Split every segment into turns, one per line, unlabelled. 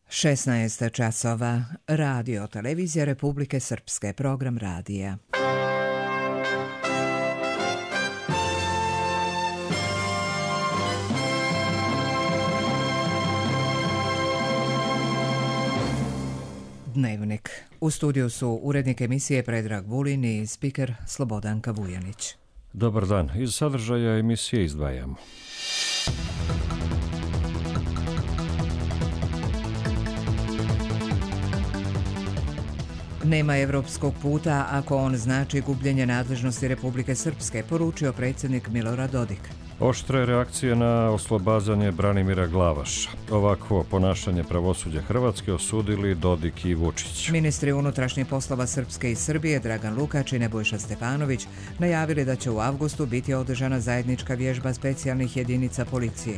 16 časova. Radio Televizija Republike Srpske. Program radija. Dnevnik. U studiju su urednik emisije Predrag Vulin i spiker Slobodanka Vujanić.
Dobar dan. Iz sadržaja emisije izdvajamo.
Nema evropskog puta ako on znači gubljenje nadležnosti Republike Srpske, poručio predsjednik Milorad Dodik.
Oštre reakcije na oslobađanje Branimira Glavaša. Ovakvo ponašanje pravosuđa Hrvatske osudili Dodik i Vučić.
Ministri unutrašnjih poslova Srpske i Srbije Dragan Lukač i Nebojša Stefanović najavili da će u avgustu biti održana zajednička vježba specijalnih jedinica policije.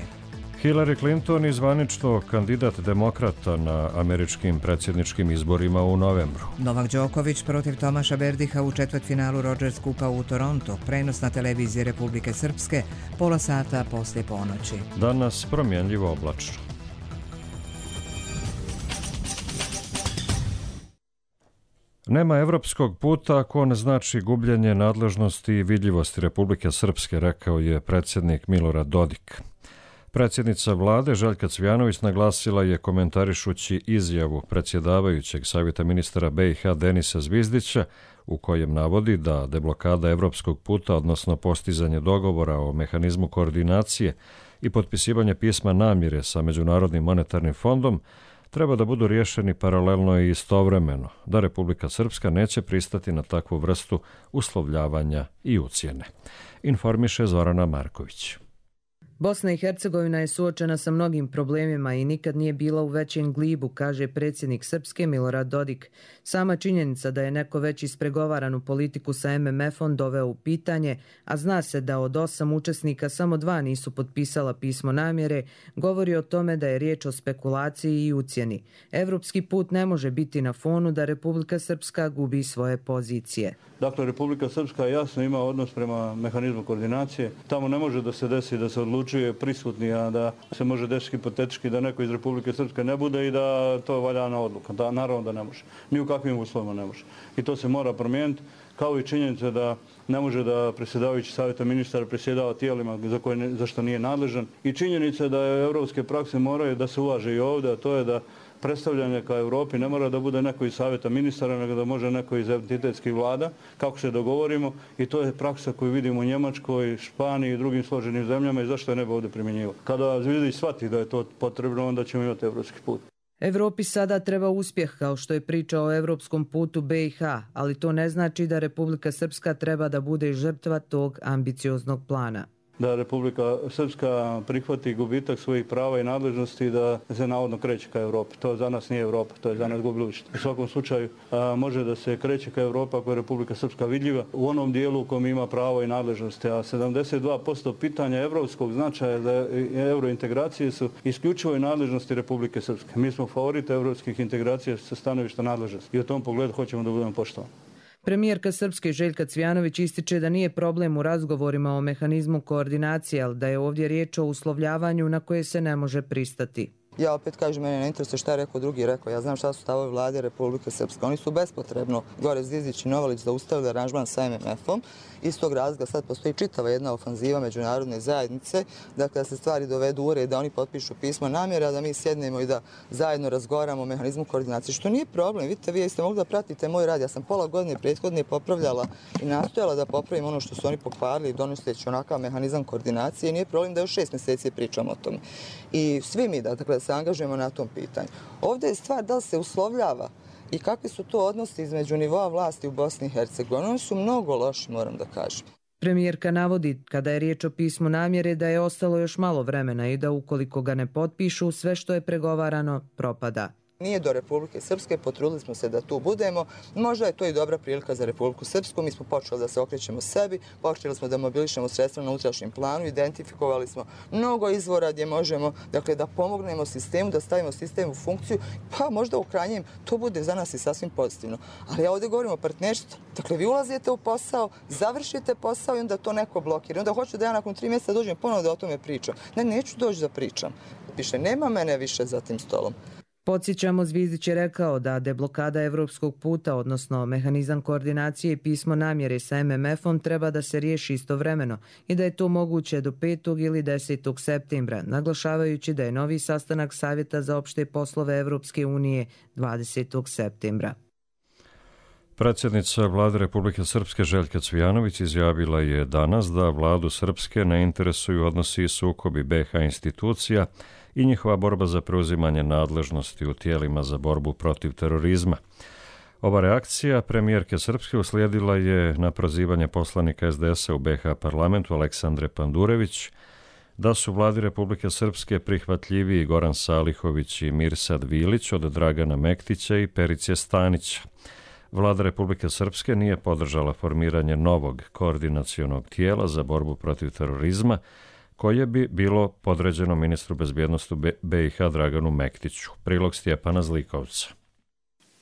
Hillary Clinton i zvanično kandidat demokrata na američkim predsjedničkim izborima u novembru.
Novak Đoković protiv Tomaša Berdiha u četvrtfinalu Rogers Kupa u Toronto. Prenos na televiziji Republike Srpske pola sata poslije ponoći.
Danas promjenljivo oblačno. Nema evropskog puta ako ne znači gubljenje nadležnosti i vidljivosti Republike Srpske, rekao je predsjednik Milorad Dodik. Predsjednica vlade Željka Cvijanović naglasila je komentarišući izjavu predsjedavajućeg savjeta ministara BiH Denisa Zvizdića u kojem navodi da deblokada evropskog puta, odnosno postizanje dogovora o mehanizmu koordinacije i potpisivanje pisma namjere sa Međunarodnim monetarnim fondom treba da budu riješeni paralelno i istovremeno, da Republika Srpska neće pristati na takvu vrstu uslovljavanja i ucjene. Informiše Zorana Marković.
Bosna i Hercegovina je suočena sa mnogim problemima i nikad nije bila u većem glibu, kaže predsjednik Srpske Milorad Dodik. Sama činjenica da je neko već ispregovaranu politiku sa MMF-om doveo u pitanje, a zna se da od 8 učesnika samo 2 nisu potpisala pismo namjere, govori o tome da je riječ o spekulaciji i ucjeni. Evropski put ne može biti na fonu da Republika Srpska gubi svoje pozicije.
Dakle, Republika Srpska jasno ima odnos prema mehanizmu koordinacije. Tamo ne može da se desi da se odlučuje prisutni, a da se može desiti hipotetički da neko iz Republike Srpske ne bude i da to je valjana odluka. Da, naravno da ne može. Ni u kakvim uslovima ne može. I to se mora promijeniti, kao i činjenica da ne može da predsjedavajući savjeta ministara predsjedava tijelima za što nije nadležan. I činjenica da je evropske prakse moraju da se uvaže i ovdje, a to je da predstavljanje ka Europi ne mora da bude neko iz savjeta ministara, nego da može neko iz entitetskih vlada, kako se dogovorimo, i to je praksa koju vidimo u Njemačkoj, Španiji i drugim složenim zemljama i zašto je ne bi ovdje primjenjivo. Kada Zvizdić shvati da je to potrebno, onda ćemo imati evropski put.
Evropi sada treba uspjeh, kao što je priča o evropskom putu BiH, ali to ne znači da Republika Srpska treba da bude žrtva tog ambicioznog plana.
Da Republika Srpska prihvati gubitak svojih prava i nadležnosti i da se navodno kreće ka Evropi. To za nas nije Evropa, to je za nas budućnost. U svakom slučaju može da se kreće ka Evropa ako je Republika Srpska vidljiva u onom dijelu u kojem ima pravo i nadležnosti. A 72% pitanja evropskog značaja za eurointegracije su isključivo i nadležnosti Republike Srpske. Mi smo favorite evropskih integracija sa stanovišta nadležnosti i u tom pogledu hoćemo da budemo poštovani.
Premijerka Srpske Željka Cvijanović ističe da nije problem u razgovorima o mehanizmu koordinacije, ali da je ovdje riječ o uslovljavanju na koje se ne može pristati.
Ja opet kažem, mene ne interesuje šta je rekao drugi rekao. Ja znam šta su stavovi vlade Republike Srpske. Oni su bespotrebno, gore Zvizdić i Novalić, zaustavili aranžman sa MMF-om. Iz tog razloga sad postoji čitava jedna ofanziva međunarodne zajednice, dakle da se stvari dovedu u red, da oni potpišu pismo namjere, a da mi sjednemo i da zajedno razgovaramo o mehanizmu koordinacije, što nije problem. Vidite, vi ste mogli da pratite moj rad. Ja sam pola godine prethodne popravljala i nastojala da popravim ono što su oni pokvarili, donoseći onakav mehanizam koordinacije. Nije problem da još 6 mjeseci pričamo o tome. I svi mi da se angažujemo na tom pitanju. Ovdje je stvar da li se uslovljava i kakvi su to odnosi između nivoa vlasti u Bosni i Hercegovini. Oni su mnogo loši, moram da kažem.
Premijerka navodi, kada je riječ o pismu namjere, da je ostalo još malo vremena i da ukoliko ga ne potpišu, sve što je pregovarano propada.
Nije do Republike Srpske, potrudili smo se da tu budemo. Možda je to i dobra prilika za Republiku Srpsku. Mi smo počeli da se okrećemo sebi, počeli smo da mobilišemo sredstva na unutrašnjem planu, identifikovali smo mnogo izvora gdje možemo da pomognemo sistemu, da stavimo sistem u funkciju, pa možda u krajnjem to bude za nas i sasvim pozitivno. Ali ja ovdje govorim o partnerstvu. Dakle, vi ulazite u posao, završite posao i onda to neko blokira. Onda hoću da ja nakon 3 mjeseca dođem ponovo da o tome pričam. Ne, neću doći da pričam. Više nema mene više za tim stolom.
Podsjećamo, Zvizdić je rekao da deblokada evropskog puta, odnosno mehanizam koordinacije i pismo namjere sa MMF-om treba da se riješi istovremeno i da je to moguće do 5. ili 10. septembra, naglašavajući da je novi sastanak Savjeta za opšte poslove Evropske unije 20. septembra.
Predsjednica Vlade Republike Srpske Željka Cvijanović izjavila je danas da vladu Srpske ne interesuju odnosi i sukobi BiH institucija i njihova borba za preuzimanje nadležnosti u tijelima za borbu protiv terorizma. Ova reakcija premijerke Srpske uslijedila je na prozivanje poslanika SDS-a u BiH parlamentu Aleksandre Pandurević da su vladi Republike Srpske prihvatljiviji Goran Salihović i Mirsad Vilić od Dragana Mektića i Perice Stanića. Vlada Republike Srpske nije podržala formiranje novog koordinacionog tijela za borbu protiv terorizma, koje bi bilo podređeno ministru bezbjednosti BiH Draganu Mektiću. Prilog Stjepana Zlikovca.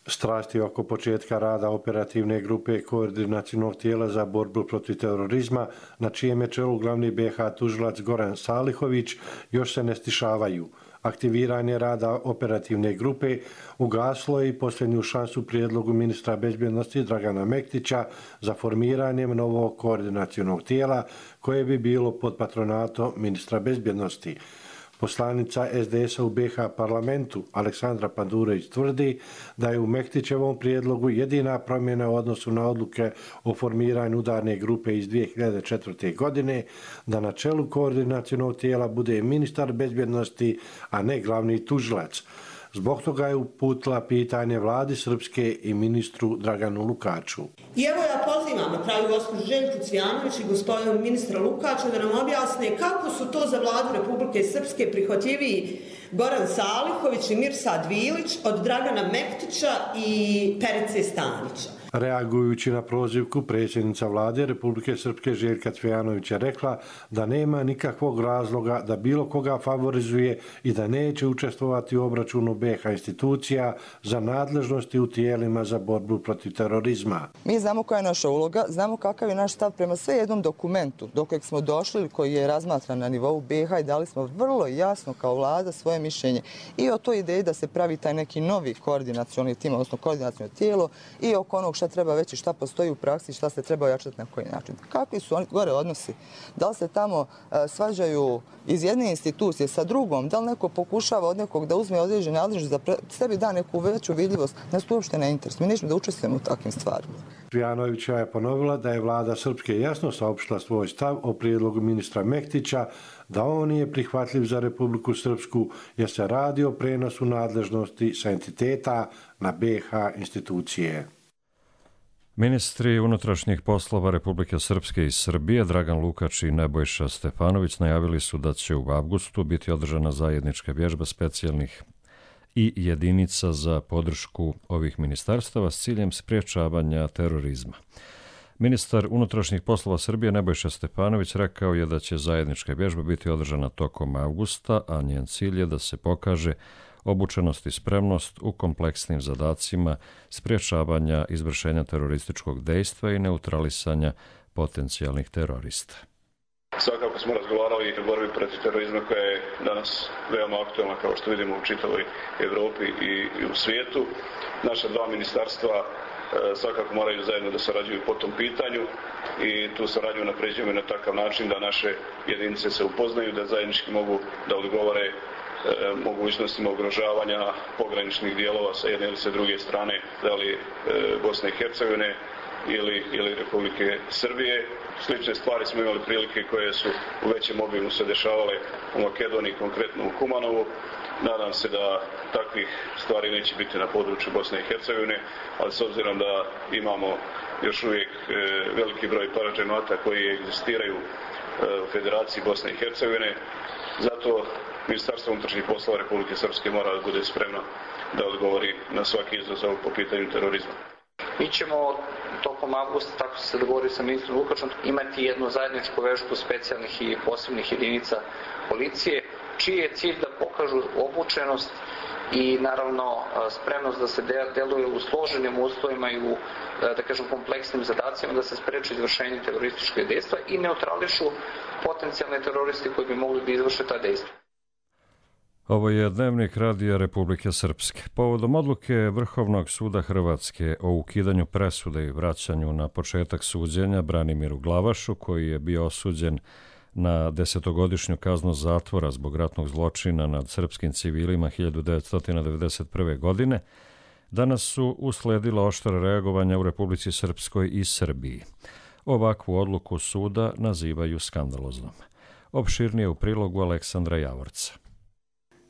Strasti oko početka rada operativne grupe koordinacionog tijela za borbu protiv terorizma, na čijem je čelu glavni BiH tužilac Goran Salihović, još se ne stišavaju. Aktiviranje rada operativne grupe ugaslo je i posljednju šansu prijedlogu ministra bezbjednosti Dragana Mektića za formiranjem novog koordinacionog tijela koje bi bilo pod patronatom ministra bezbjednosti. Poslanica SDS-a u BiH parlamentu Aleksandra Pandurević tvrdi da je u Mektićevom prijedlogu jedina promjena u odnosu na odluke o formiranju udarne grupe iz 2004. godine da na čelu koordinacionog tijela bude ministar bezbjednosti, a ne glavni tužilac. Zbog toga je uputila pitanje vladi Srpske i ministru Draganu Lukaču.
I evo ja pozivam na kraju gospođu Željku Cvijanović i gospodinu ministra Lukača da nam objasne kako su to za vladu Republike Srpske prihvatljiviji Goran Salihović i Mirsad Vilić od Dragana Mektića i Perice Stanića.
Reagujući na prozivku, predsjednica vlade Republike Srpske Željka Cvijanović je rekla da nema nikakvog razloga da bilo koga favorizuje i da neće učestvovati u obračunu BiH institucija za nadležnosti u tijelima za borbu protiv terorizma.
Mi znamo koja je naša uloga, znamo kakav je naš stav prema sve jednom dokumentu do kojeg smo došli, koji je razmatran na nivou BiH i dali smo vrlo jasno kao vlada svoje mišljenje i o toj ideji da se pravi taj neki novi koordinacioni tim, odnosno koordinaciono tijelo i oko onog šta treba već i šta postoji u praksi, šta se treba ojačati na koji način. Kakvi su oni gore odnosi? Da li se tamo svađaju iz jedne institucije sa drugom? Da li neko pokušava od nekog da uzme određene nadležnosti da sebi da neku veću vidljivost? Nas to uopšte ne interesuje. Mi nećemo da učestvujemo u takvim stvarima.
Cvijanovića je ponovila da je vlada Srpske jasno saopštila svoj stav o prijedlogu ministra Mektića da on nije prihvatljiv za Republiku Srpsku jer se radi o prenosu nadležnosti sa entiteta na BiH institucije.
Ministri unutrašnjih poslova Republike Srpske i Srbije Dragan Lukač i Nebojša Stefanović najavili su da će u avgustu biti održana zajednička vježba specijalnih i jedinica za podršku ovih ministarstava s ciljem spriječavanja terorizma. Ministar unutrašnjih poslova Srbije Nebojša Stefanović rekao je da će zajednička vježba biti održana tokom avgusta, a njen cilj je da se pokaže obučenost i spremnost u kompleksnim zadacima spriječavanja izvršenja terorističkog dejstva i neutralisanja potencijalnih terorista.
Svakako smo razgovarali o borbi protiv terorizma koja je danas veoma aktualna, kao što vidimo u čitavoj Evropi i u svijetu. Naša dva ministarstva svakako moraju zajedno da sarađuju po tom pitanju i tu saradnju napređujemo na takav način da naše jedinice se upoznaju, da zajednički mogu da odgovore mogućnostima ugrožavanja pograničnih dijelova sa jedne ili sa druge strane, da li Bosne i Hercegovine ili Republike Srbije. Slične stvari smo imali prilike koje su u većem obimu se dešavale u Makedoniji, konkretno u Kumanovu. Nadam se da takvih stvari neće biti na području Bosne i Hercegovine, ali s obzirom da imamo još uvijek veliki broj parađenata koji egzistiraju u Federaciji Bosne i Hercegovine, zato Ministarstvo unutrašnjih poslova Republike Srpske mora da bude spremno da odgovori na svaki izazov po pitanju terorizma.
Mi ćemo tokom avgusta, tako se dogovori sa ministrom Lukačom, imati jednu zajedničku vežbu specijalnih i posebnih jedinica policije, čiji je cilj da pokažu obučenost i naravno spremnost da se deluje u složenim uslovima i u, da kažem, kompleksnim zadacima da se spreči izvršenje terorističkog dejstva i neutrališu potencijalne teroristi koji bi mogli da izvrše ta dejstva.
Ovo je dnevnik Radija Republike Srpske. Povodom odluke Vrhovnog suda Hrvatske o ukidanju presude i vraćanju na početak suđenja Branimiru Glavašu, koji je bio osuđen na 10-godišnju kaznu zatvora zbog ratnog zločina nad srpskim civilima 1991. godine, danas su usledila oštra reagovanja u Republici Srpskoj i Srbiji. Ovakvu odluku suda nazivaju skandaloznom. Opširnije u prilogu Aleksandra Javorca.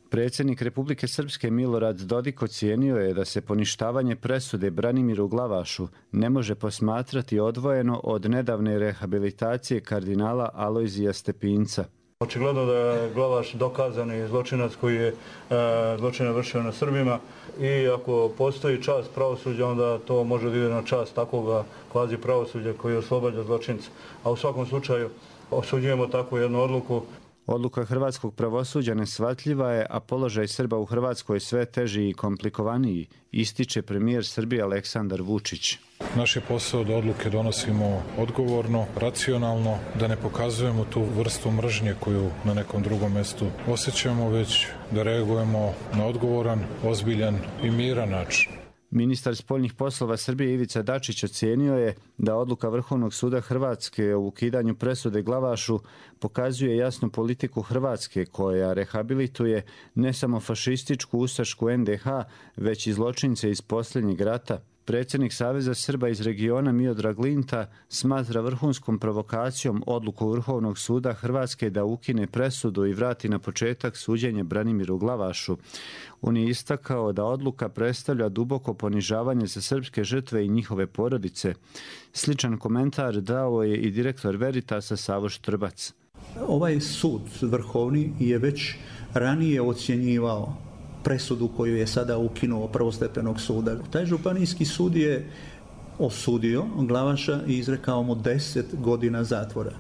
Predsjednik Republike Srpske Milorad Dodik ocijenio je da se poništavanje presude Branimiru Glavašu ne može posmatrati odvojeno od nedavne rehabilitacije kardinala Alojzija Stepinca.
Očigledno da je Glavaš dokazani zločinac koji je zločine vršio na Srbima i ako postoji čast pravosuđa, onda to može da ide na čast takvog kvazi pravosuđa koji oslobađa zločinca. A u svakom slučaju osuđujemo takvu jednu odluku.
Odluka hrvatskog pravosuđa neshvatljiva je, a položaj Srba u Hrvatskoj sve teži i komplikovaniji, ističe premijer Srbije Aleksandar Vučić.
Naš je posao da odluke donosimo odgovorno, racionalno, da ne pokazujemo tu vrstu mržnje koju na nekom drugom mjestu osjećamo, već da reagujemo na odgovoran, ozbiljan i miran način.
Ministar spoljnih poslova Srbije Ivica Dačić ocijenio je da odluka Vrhovnog suda Hrvatske o ukidanju presude Glavašu pokazuje jasnu politiku Hrvatske koja rehabilituje ne samo fašističku ustašku NDH, već i zločince iz posljednjeg rata. Predsjednik Saveza Srba iz regiona Miodrag Linta smatra vrhunskom provokacijom odluku Vrhovnog suda Hrvatske da ukine presudu i vrati na početak suđenje Branimiru Glavašu. On je istakao da odluka predstavlja duboko ponižavanje za srpske žrtve i njihove porodice. Sličan komentar dao je i direktor Veritasa Savo Štrbac.
Ovaj sud vrhovni je već ranije ocjenjivao presudu koju je sada ukinuo prvostepenog suda. Taj županijski sud je osudio Glavaša i izrekao mu 10 godina zatvora.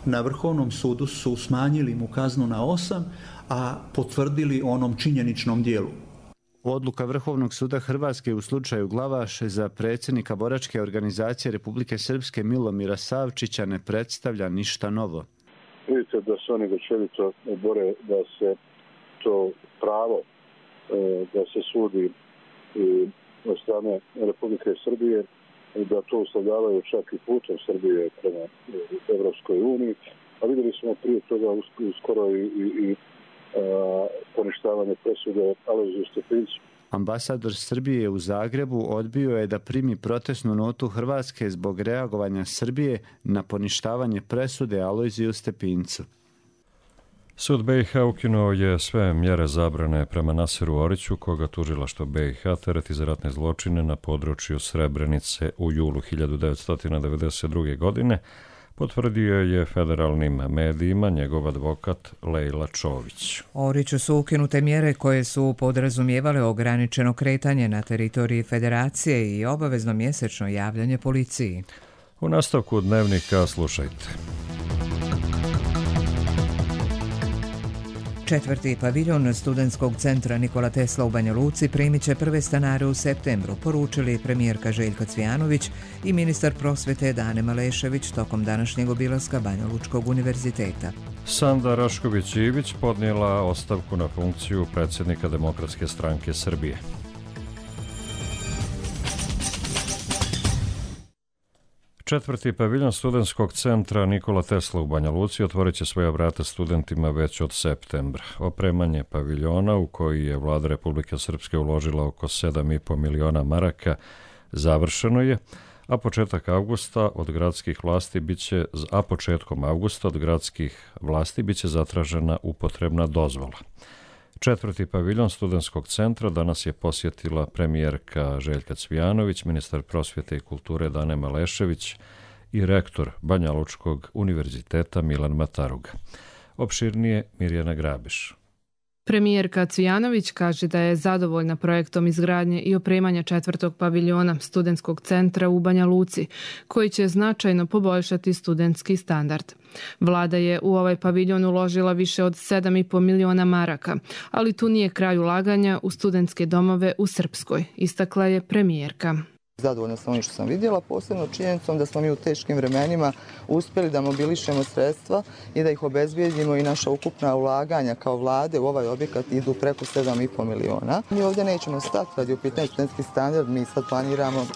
Na Vrhovnom sudu su smanjili mu kaznu na 8, a potvrdili onom činjeničnom dijelu.
Odluka Vrhovnog suda Hrvatske u slučaju Glavaš za predsjednika boračke organizacije Republike Srpske Milomira Savčića ne predstavlja ništa novo.
Vidite da se oni večerito bore da se to pravo da se sudi od strane Republike Srbije, da to uslovljavaju čak i putem Srbije prema Evropskoj uniji, a vidjeli smo prije toga uskoro i poništavanje presude Alojziju Stepincu.
Ambasador Srbije u Zagrebu odbio je da primi protestnu notu Hrvatske zbog reagovanja Srbije na poništavanje presude Alojziju Stepincu.
Sud BiH ukinuo je sve mjere zabrane prema Nasiru Oriću, koga tužilaštvo BiH tereti za ratne zločine na području Srebrenice u julu 1992. godine, potvrdio je federalnim medijima njegov advokat Lejla Čović.
Oriću su ukinute mjere koje su podrazumijevale ograničeno kretanje na teritoriji federacije i obavezno mjesečno javljanje policiji.
U nastavku dnevnika slušajte.
4. paviljon studentskog centra Nikola Tesla u Banja Luci primit će prve stanare u septembru, poručili premijerka Željka Cvijanović i ministar prosvete Dane Malešević tokom današnjeg obilaska Banja Lučkog univerziteta.
Sanda Rašković-Ivić podnijela ostavku na funkciju predsjednika Demokratske stranke Srbije. Četvrti paviljon studentskog centra Nikola Tesla u Banja Luci otvorit će svoja vrata studentima već od septembra. Opremanje paviljona, u koji je vlada Republike Srpske uložila oko 7,5 miliona maraka, završeno je, a početkom avgusta od gradskih vlasti biće zatražena upotrebna dozvola. Četvrti paviljon studentskog centra danas je posjetila premijerka Željka Cvijanović, ministar prosvjete i kulture Dane Malešević i rektor Banja Lučkog univerziteta Milan Mataruga. Opširnije Mirjana Grabiš.
Premijerka Cvijanović kaže da je zadovoljna projektom izgradnje i opremanja četvrtog paviljona studentskog centra u Banja Luci, koji će značajno poboljšati studentski standard. Vlada je u ovaj paviljon uložila više od 7,5 miliona maraka, ali tu nije kraj ulaganja u studentske domove u Srpskoj, istakla je premijerka.
Zadovoljna sam onim što sam vidjela, posebno činjenicom da smo mi u teškim vremenima uspjeli da mobilišemo sredstva i da ih obezbijedimo i naša ukupna ulaganja kao vlade u ovaj objekat idu preko 7,5 miliona. Mi ovdje nećemo stati radi u pitanju studentski standard, mi sad planiramo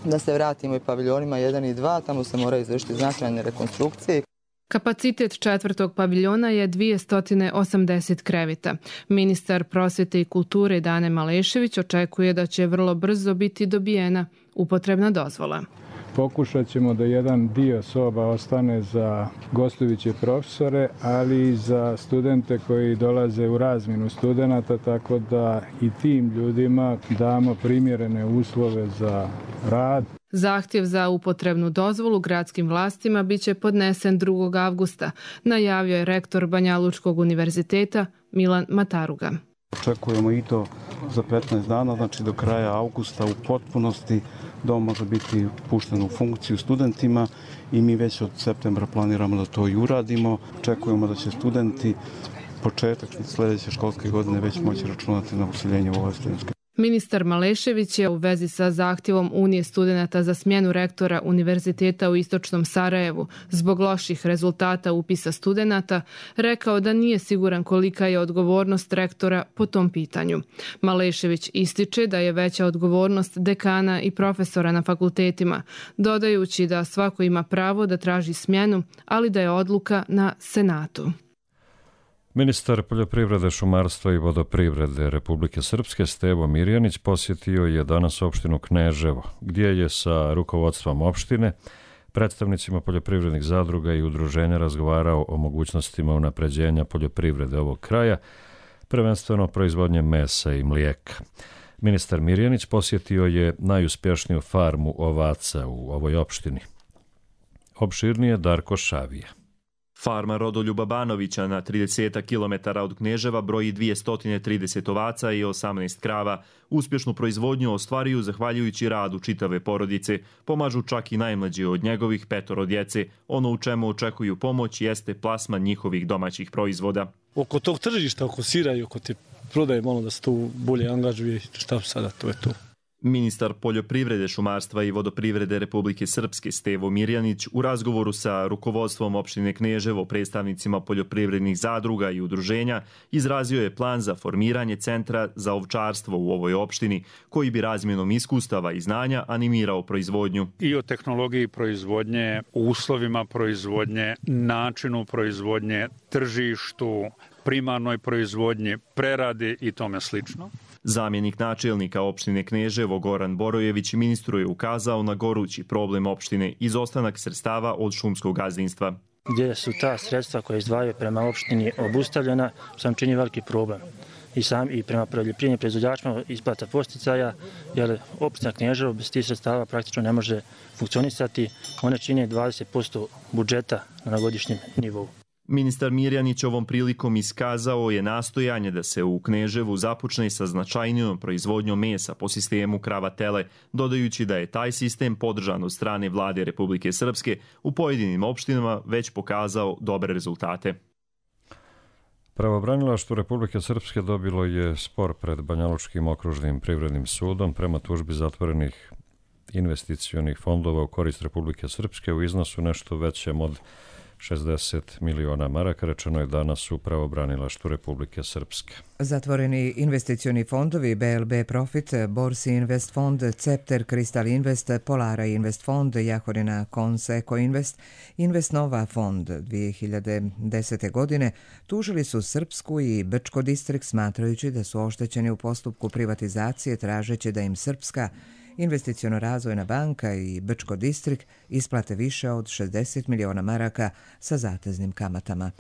da se vratimo i paviljonima 1 i 2, tamo se moraju izvršiti značajne rekonstrukcije.
Kapacitet 4. paviljona je 280 kreveta. Ministar prosvjete i kulture Dane Malešević očekuje da će vrlo brzo biti dobijena upotrebna dozvola.
Pokušat ćemo da jedan dio soba ostane za gostujuće profesore, ali i za studente koji dolaze u razmjenu studenata, tako da i tim ljudima damo primjerene uslove za rad.
Zahtjev za upotrebnu dozvolu gradskim vlastima biće podnesen 2. avgusta, najavio je rektor Banjalučkog univerziteta Milan Mataruga.
Očekujemo i to za 15 dana, znači do kraja avgusta u potpunosti dom može biti pušten u funkciju studentima i mi već od septembra planiramo da to i uradimo. Očekujemo da će studenti početak sljedeće školske godine već moći računati na useljenje u ovoj studentskoj.
Ministar Malešević je u vezi sa zahtjevom Unije studenata za smjenu rektora Univerziteta u Istočnom Sarajevu zbog loših rezultata upisa studenata rekao da nije siguran kolika je odgovornost rektora po tom pitanju. Malešević ističe da je veća odgovornost dekana i profesora na fakultetima, dodajući da svako ima pravo da traži smjenu, ali da je odluka na Senatu.
Ministar poljoprivrede, šumarstva i vodoprivrede Republike Srpske Stevo Mirjanić posjetio je danas opštinu Kneževo, gdje je sa rukovodstvom opštine, predstavnicima poljoprivrednih zadruga i udruženja razgovarao o mogućnostima unapređenja poljoprivrede ovog kraja, prvenstveno proizvodnje mesa i mlijeka. Ministar Mirjanić posjetio je najuspješniju farmu ovaca u ovoj opštini. Opširnije Darko Šavija.
Farma Rodoljuba Banovića na 30 km od Kneževa broji 230 ovaca i 18 krava. Uspješnu proizvodnju ostvaruju zahvaljujući radu čitave porodice. Pomažu čak i najmlađi od njegovih 5 djece. Ono u čemu očekuju pomoć jeste plasman njihovih domaćih proizvoda.
Oko tog tržišta, oko sira i oko te prodaje, malo da se tu bolje angažuje, šta sada, to je to.
Ministar poljoprivrede, šumarstva i vodoprivrede Republike Srpske Stevo Mirjanić u razgovoru sa rukovodstvom opštine Kneževo, predstavnicima poljoprivrednih zadruga i udruženja izrazio je plan za formiranje centra za ovčarstvo u ovoj opštini, koji bi razmjenom iskustava i znanja animirao proizvodnju.
I o tehnologiji proizvodnje, uslovima proizvodnje, načinu proizvodnje, tržištu, primarnoj proizvodnji, preradi i tome slično.
Zamjenik načelnika opštine Kneževo Goran Borojević ministru je ukazao na gorući problem opštine, izostanak sredstava od šumskog gazdinstva.
Gdje su ta sredstva koje izdvajaju prema opštini obustavljena, sam čini veliki problem. I prema poljoprivrednim proizvođačima isplata posticaja, jer opština Kneževo bez tih sredstava praktično ne može funkcionisati. One čine 20% budžeta na godišnjem nivou.
Ministar Mirjanić ovom prilikom iskazao je nastojanje da se u Kneževu započne sa značajnijom proizvodnjom mesa po sistemu krava-tele, dodajući da je taj sistem podržan od strane vlade Republike Srpske u pojedinim opštinama već pokazao dobre rezultate.
Pravobranilaštvo Republike Srpske dobilo je spor pred Banjalučkim okružnim privrednim sudom prema tužbi zatvorenih investicionih fondova u korist Republike Srpske u iznosu nešto većem od 60 miliona maraka, rečeno je danas u pravobranilaštvu Republike Srpske.
Zatvoreni investicioni fondovi BLB Profit, Borsi Invest Fond, Cepter Kristal Invest, Polara Invest Fond, Jahorina Kons Eko Invest, Invest Nova Fond 2010. godine tužili su Srpsku i Brčko distrikt smatrajući da su oštećeni u postupku privatizacije tražeći da im Srpska Investiciono-razvojna banka i Brčko distrikt isplate više od 60 miliona maraka sa zateznim kamatama.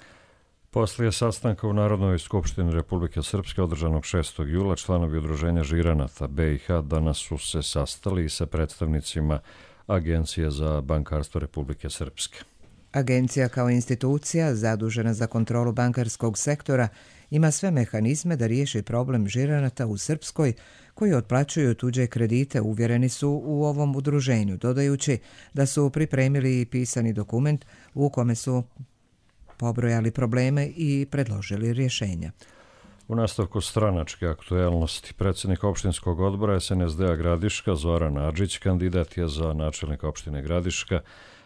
Poslije sastanka u Narodnoj skupštini Republike Srpske održanog 6. jula članovi udruženja Žiranata BiH danas su se sastali sa predstavnicima Agencije za bankarstvo Republike Srpske.
Agencija kao institucija zadužena za kontrolu bankarskog sektora ima sve mehanizme da riješi problem žiranata u Srpskoj koji otplaćuju tuđe kredite, uvjereni su u ovom udruženju, dodajući da su pripremili pisani dokument u kome su pobrojali probleme i predložili rješenja.
U nastavku stranačke aktuelnosti, predsjednik opštinskog odbora SNSD-a Gradiška Zoran Adžić kandidat je za načelnika opštine Gradiška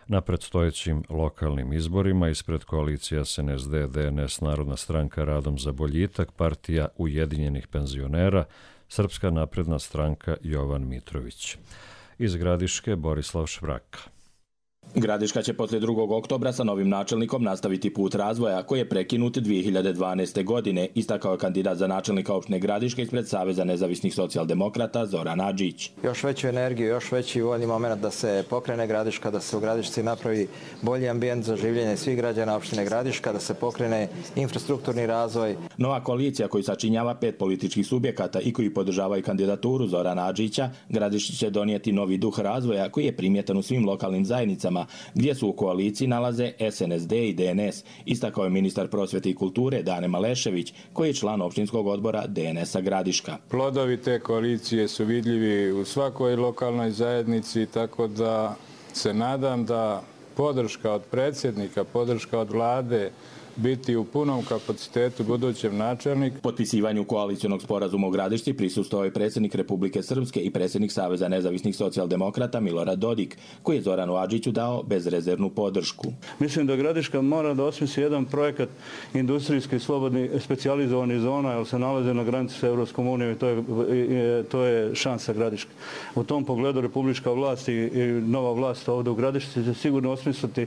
na predstojećim lokalnim izborima ispred koalicije SNSD, DNS, Narodna stranka Radom za boljitak, partija Ujedinjenih penzionera, Srpska napredna stranka Jovan Mitrović. Iz Gradiške Borislav Švraka.
Gradiška će poslije 2. oktobra sa novim načelnikom nastaviti put razvoja koji je prekinut 2012. godine, istakao je kandidat za načelnika opštine Gradiške ispred Saveza nezavisnih socijaldemokrata Zoran Adžić.
Još veću energiju, još veći uvodni moment da se pokrene Gradiška, da se u Gradišci napravi bolji ambijent za življenje svih građana opštine Gradiška, da se pokrene infrastrukturni razvoj.
Nova koalicija koju sačinjava 5 političkih subjekata i koji podržavaju kandidaturu Zorana Adžića, Gradišci će donijeti novi duh razvoja koji je primjetan u svim lokalnim zajednicama gdje su u koaliciji nalaze SNSD i DNS, istakao je ministar prosvjete i kulture Dane Malešević, koji je član opštinskog odbora DNS-a Gradiška.
Plodovi te koalicije su vidljivi u svakoj lokalnoj zajednici, tako da se nadam da podrška od predsjednika, podrška od vlade biti u punom kapacitetu budućem načelniku.
Potpisivanju koalicionog sporazuma u Gradišci prisustvovao je predsjednik Republike Srpske i predsjednik Saveza nezavisnih socijaldemokrata Milorad Dodik, koji je Zoranu Adžiću dao bezrezervnu podršku.
Mislim da Gradiška mora da osmisli jedan projekat industrijski slobodni specijalizovani zona, jer se nalaze na granici sa Evropskom unijom i to je šansa Gradiške. U tom pogledu republička vlast i nova vlast ovdje u Gradišci će sigurno osmisliti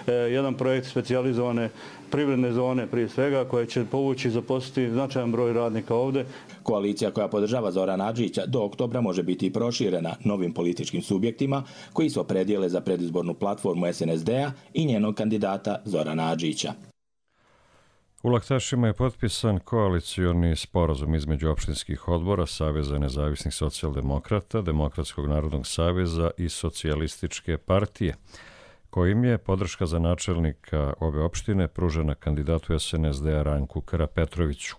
jedan projekt specijalizovane privredne zone prije svega koje će povući i zaposliti značajan broj radnika ovdje.
Koalicija koja podržava Zorana Adžića do oktobra može biti i proširena novim političkim subjektima koji se opredijele za predizbornu platformu SNSD-a i njenog kandidata Zorana Adžića.
U Laktašima je potpisan koalicioni sporazum između opštinskih odbora Saveza nezavisnih socijaldemokrata, Demokratskog narodnog saveza i Socijalističke partije, kojim je podrška za načelnika ove opštine pružena kandidatu SNSD-a Ranku Karapetroviću.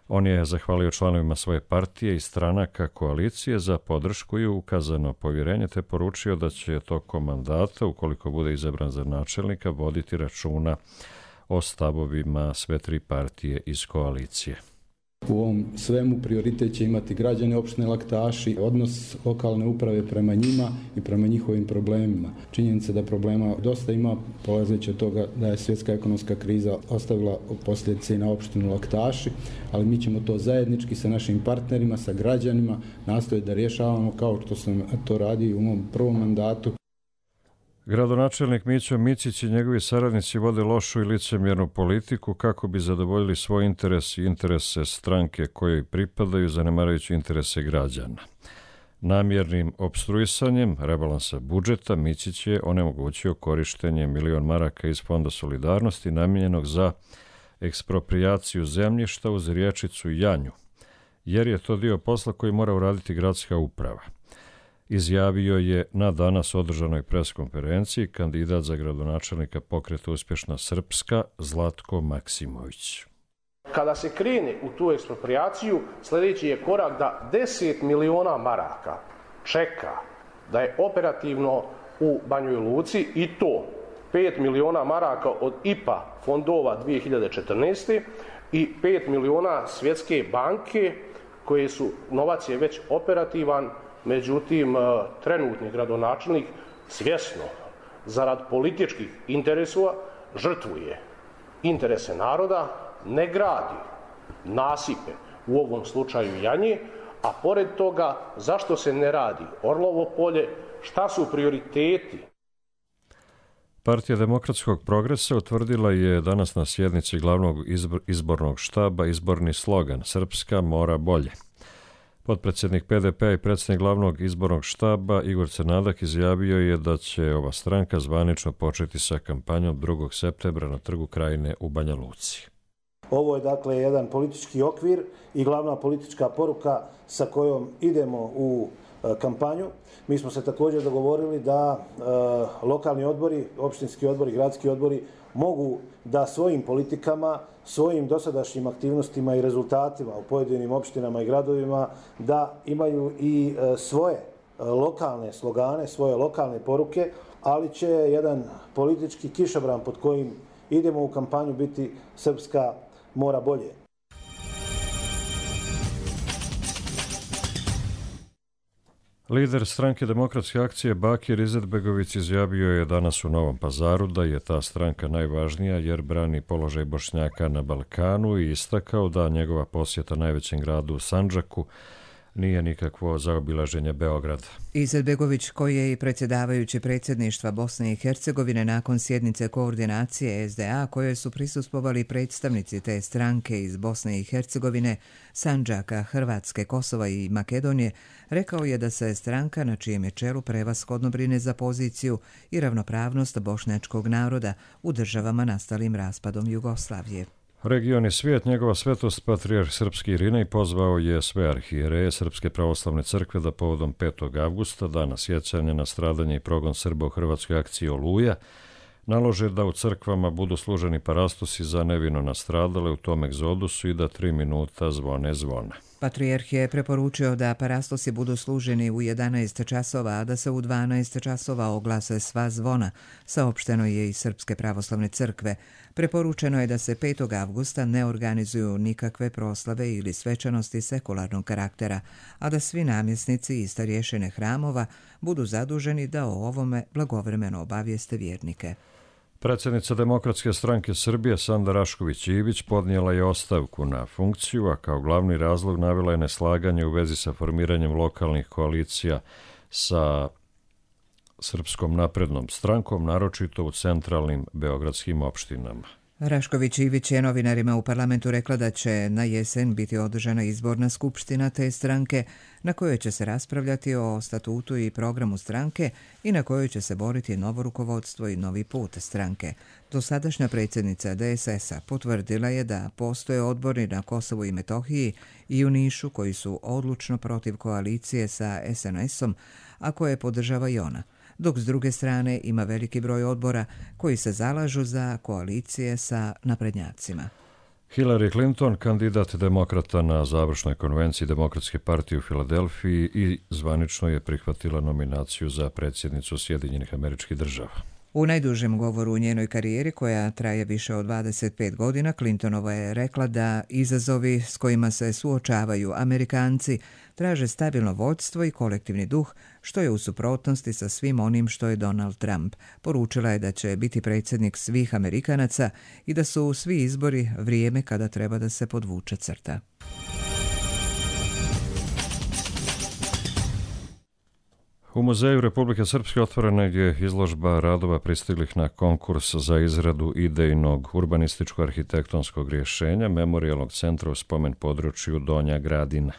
On je zahvalio članovima svoje partije i stranaka koalicije za podršku i ukazano povjerenje, te poručio da će tokom mandata, ukoliko bude izabran za načelnika, voditi računa o stavovima sve 3 partije iz koalicije.
U ovom svemu prioritet će imati građane opštine Laktaši, odnos lokalne uprave prema njima i prema njihovim problemima. Činjenica da problema dosta ima, polazeći od toga da je svjetska ekonomska kriza ostavila posljedice i na opštinu Laktaši, ali mi ćemo to zajednički sa našim partnerima, sa građanima nastojati da rješavamo kao što sam to radio u mom prvom mandatu.
Gradonačelnik Mićo Micić i njegovi saradnici vode lošu i licemjernu politiku kako bi zadovoljili svoj interes i interese stranke kojoj pripadaju, zanemarujući interese građana. Namjernim opstruisanjem rebalansa budžeta Micić je onemogućio korištenje 1 milion maraka iz Fonda solidarnosti namijenjenog za eksproprijaciju zemljišta uz rječicu Janju, jer je to dio posla koji mora uraditi gradska uprava. Izjavio je na danas održanoj preskonferenciji kandidat za gradonačelnika Pokreta Uspješna Srpska Zlatko Maksimović.
Kada se krene u tu eksproprijaciju, sljedeći je korak da 10 miliona maraka čeka da je operativno u Banjoj Luci i to 5 miliona maraka od IPA fondova 2014. i 5 miliona Svjetske banke koje su, novac je već operativan. Međutim, trenutni gradonačelnik svjesno, zarad političkih interesova, žrtvuje interese naroda, ne gradi nasipe, u ovom slučaju Janje, a pored toga zašto se ne radi Orlovo polje, šta su prioriteti?
Partija Demokratskog progresa utvrdila je danas na sjednici glavnog izbornog štaba izborni slogan Srpska mora bolje. Potpredsjednik PDP-a i predsjednik glavnog izbornog štaba Igor Crnadak izjavio je da će ova stranka zvanično početi sa kampanjom 2. septembra na Trgu Krajine u Banja Luci.
Ovo je dakle jedan politički okvir i glavna politička poruka sa kojom idemo u kampanju. Mi smo se također dogovorili da lokalni odbori, opštinski odbori, gradski odbori mogu da svojim politikama, svojim dosadašnjim aktivnostima i rezultatima u pojedinim opštinama i gradovima da imaju i svoje lokalne slogane, svoje lokalne poruke, ali će jedan politički kišobran pod kojim idemo u kampanju biti Srpska mora bolje.
Lider stranke Demokratske akcije Bakir Izetbegović izjavio je danas u Novom Pazaru da je ta stranka najvažnija jer brani položaj Bošnjaka na Balkanu i istakao da njegova posjeta najvećem gradu Sandžaku nije nikakvo zaobilaženje Beograda.
Izetbegović, koji je i predsjedavajući predsjedništva Bosne i Hercegovine nakon sjednice koordinacije SDA koje su prisustvovali predstavnici te stranke iz Bosne i Hercegovine, Sandžaka, Hrvatske, Kosova i Makedonije, rekao je da se stranka na čijem je čelu prevashodno brine za poziciju i ravnopravnost bošnjačkog naroda u državama nastalim raspadom Jugoslavije.
Region i svijet, njegova svetost patrijarh srpski Irinej pozvao je sve arhijereje Srpske pravoslavne crkve da povodom 5. avgusta, dana sjećanja na stradanje i progon Srba u Hrvatskoj akciji Oluja, nalože da u crkvama budu služeni parastosi za nevino nastradale u tom egzodusu i da 3 minuta zvone zvona.
Patrijarh je preporučio da parastosi budu služeni u 11 časova, a da se u 12 časova oglase sva zvona, saopšteno je iz Srpske pravoslavne crkve. Preporučeno je da se 5. avgusta ne organizuju nikakve proslave ili svečanosti sekularnog karaktera, a da svi namjesnici i starješine hramova budu zaduženi da o ovome blagovremeno obavijeste vjernike.
Predsjednica Demokratske stranke Srbije Sanda Rašković-Ivić podnijela je ostavku na funkciju, a kao glavni razlog navela je neslaganje u vezi sa formiranjem lokalnih koalicija sa Srpskom naprednom strankom, naročito u centralnim beogradskim opštinama.
Rašković-Ivić je novinarima u parlamentu rekla da će na jesen biti održana izborna skupština te stranke na kojoj će se raspravljati o statutu i programu stranke i na kojoj će se boriti novo rukovodstvo i novi put stranke. Dosadašnja predsjednica DSS-a potvrdila je da postoje odbori na Kosovu i Metohiji i u Nišu koji su odlučno protiv koalicije sa SNS-om, a koje podržava i ona, dok s druge strane ima veliki broj odbora koji se zalažu za koalicije sa naprednjacima.
Hillary Clinton, kandidat demokrata na završnoj konvenciji Demokratske partije u Filadelfiji i zvanično je prihvatila nominaciju za predsjednicu Sjedinjenih Američkih Država.
U najdužem govoru u njenoj karijeri, koja traje više od 25 godina, Clintonova je rekla da izazovi s kojima se suočavaju Amerikanci traže stabilno vodstvo i kolektivni duh, što je u suprotnosti sa svim onim što je Donald Trump. Poručila je da će biti predsjednik svih Amerikanaca i da su svi izbori vrijeme kada treba da se podvuče crta.
U Muzeju Republike Srpske otvorena je izložba radova pristiglih na konkurs za izradu idejnog urbanističko-arhitektonskog rješenja Memorijalnog centra u spomen području Donja Gradina.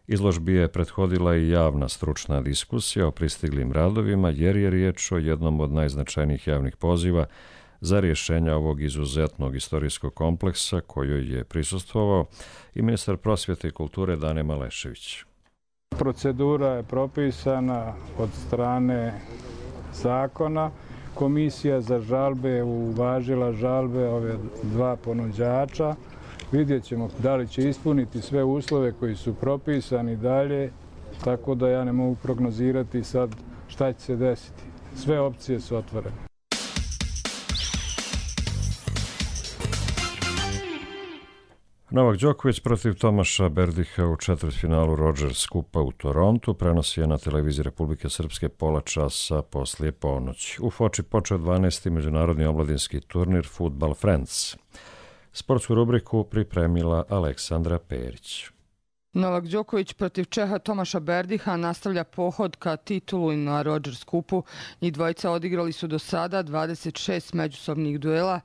Izložbi je prethodila i javna stručna diskusija o pristiglim radovima jer je riječ o jednom od najznačajnijih javnih poziva za rješenja ovog izuzetnog istorijskog kompleksa kojoj je prisustvovao i ministar prosvjete i kulture Dane Malešević.
Procedura je propisana od strane zakona. Komisija za žalbe je uvažila žalbe ove dva ponuđača. Vidjet ćemo da li će ispuniti sve uslove koji su propisani dalje, tako da ja ne mogu prognozirati sad šta će se desiti. Sve opcije su otvorene.
Novak Đoković protiv Tomaša Berdiha u četvrtfinalu Rogers Kupa u Torontu prenosi je na televiziji Republike Srpske pola časa poslije ponoći. U Foči počeo 12. međunarodni omladinski turnir Football Friends. Sportsku rubriku pripremila Aleksandra Perić.
Novak Đoković protiv Čeha Tomaša Berdiha nastavlja pohod ka titulu na Rogers Kupu. Njih dvojica odigrali su do sada 26 međusobnih duela,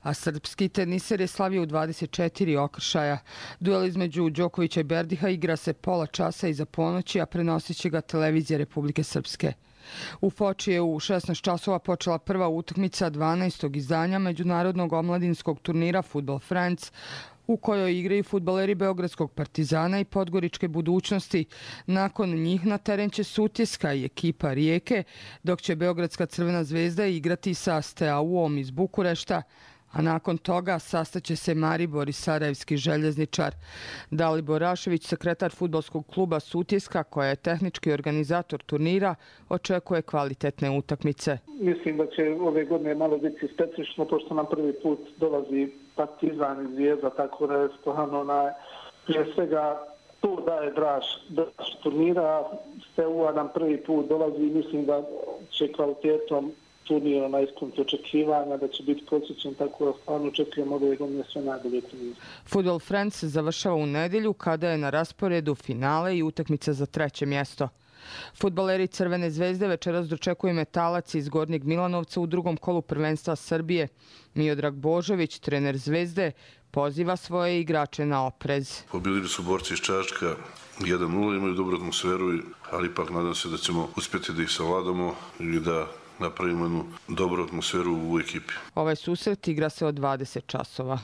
a srpski teniser je slavio u 24 okršaja. Duel između Đokovića i Berdiha igra se pola časa iza ponoći, a prenosit će ga televizija Republike Srpske. U Foči je u 16 časova počela prva utakmica 12. izdanja međunarodnog omladinskog turnira Football Friends, u kojoj igraju fudbaleri Beogradskog Partizana i Podgoričke Budućnosti. Nakon njih na teren će Sutjeska i ekipa Rijeke, dok će Beogradska Crvena zvezda igrati sa Steaua-om iz Bukurešta, a nakon toga sastaće se Maribor i Sarajevski željezničar. Dalibor Rašević, sekretar fudbalskog kluba Sutjeska, koja je tehnički organizator turnira, očekuje kvalitetne utakmice.
Mislim da će ove godine malo biti specifično, pošto nam prvi put dolazi Partizan i Zvijezda, tako da je stvarno prije svega To daje draž turnira. Steaua nam prvi put dolazi i mislim da će kvalitetom turnira na ispuniti očekivanja, da će biti prosječen, tako da stvarno očekujemo ove godine sve najbolje turnire.
Fudbal Friends se završava u nedjelju kada je na rasporedu finale i utakmica za 3. mjesto. Fudbaleri Crvene zvezde večeras dočekuju Metalac iz Gornjeg Milanovca u drugom kolu prvenstva Srbije. Miodrag Božović, trener Zvezde, poziva svoje igrače na oprez.
Pobjedili su borci iz Čačka 1-0, imaju dobru atmosferu, ali ipak nadam se da ćemo uspjeti da ih savladamo i da napravimo jednu dobru atmosferu u ekipi.
Ovaj susret igra se od 20 časova.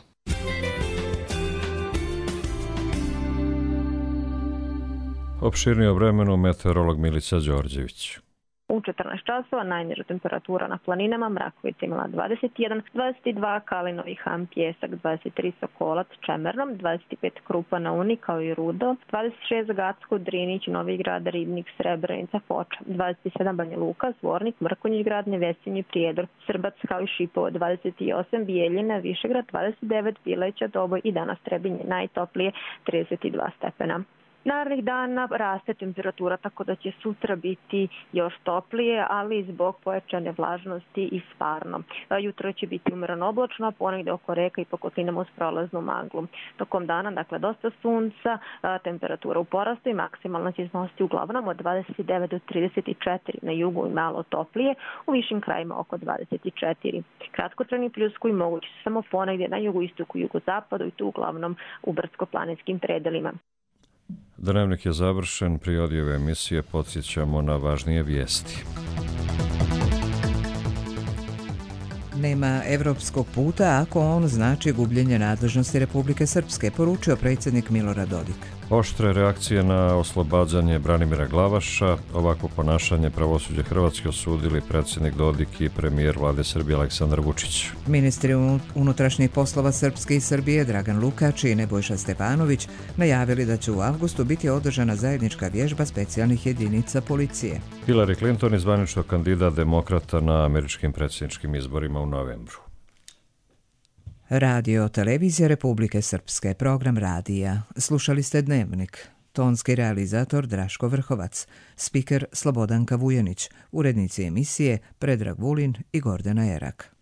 Opširnije o vremenu meteorolog Milica Đorđević.
U 14 časova najniža temperatura na planinama, Mrakovica imala 21, 22 Kalinovi Han, Pjesak, 23 Sokolac, Čemernom, 25 Krupa na Uni kao i Rudo, 26 Gacko, Drinić, Novi Grad, Ribnik, Srebrenica, Foča, 27 Banja Luka, Zvornik, Mrkonjić Grad, Nevesinje, Prijedor, Srbac kao i Šipovo, 28 Bijeljina, Višegrad, 29 Bileća, Doboj i danas Trebinje najtoplije 32 stepena. Narednih dana raste temperatura, tako da će sutra biti još toplije, ali zbog pojačane vlažnosti i stvarno. Jutro će biti umereno oblačno, a ponegde oko reka i po kotlinama uz prolaznu maglu. Tokom dana, dakle, dosta sunca, temperatura u porastu i maksimalna će iznositi uglavnom od 29 do 34 na jugu i malo toplije, u višim krajima oko 24. Kratkotrajni pljuskovi mogući su samo ponegde na jugoistoku i jugozapadu i tu uglavnom u brdsko-planinskim predelima.
Dnevnik je završen, pri ove emisije podsjećamo na važnije vijesti.
Nema evropskog puta ako on znači gubljenje nadležnosti Republike Srpske, poručio predsjednik Milorad Dodik.
Oštre reakcije na oslobađanje Branimira Glavaša, ovako ponašanje pravosuđa Hrvatske osudili predsjednik Dodik i premijer vlade Srbije Aleksandar Vučić.
Ministri unutrašnjih poslova Srpske i Srbije Dragan Lukač i Nebojša Stefanović najavili da će u avgustu biti održana zajednička vježba specijalnih jedinica policije.
Hillary Clinton je zvanično kandidat demokrata na američkim predsjedničkim izborima u novembru.
Radio Televizija Republike Srpske, program radija. Slušali ste Dnevnik. Tonski realizator Draško Vrhovac, spiker Slobodanka Vujanić, urednici emisije Predrag Vulin i Gordana Erak.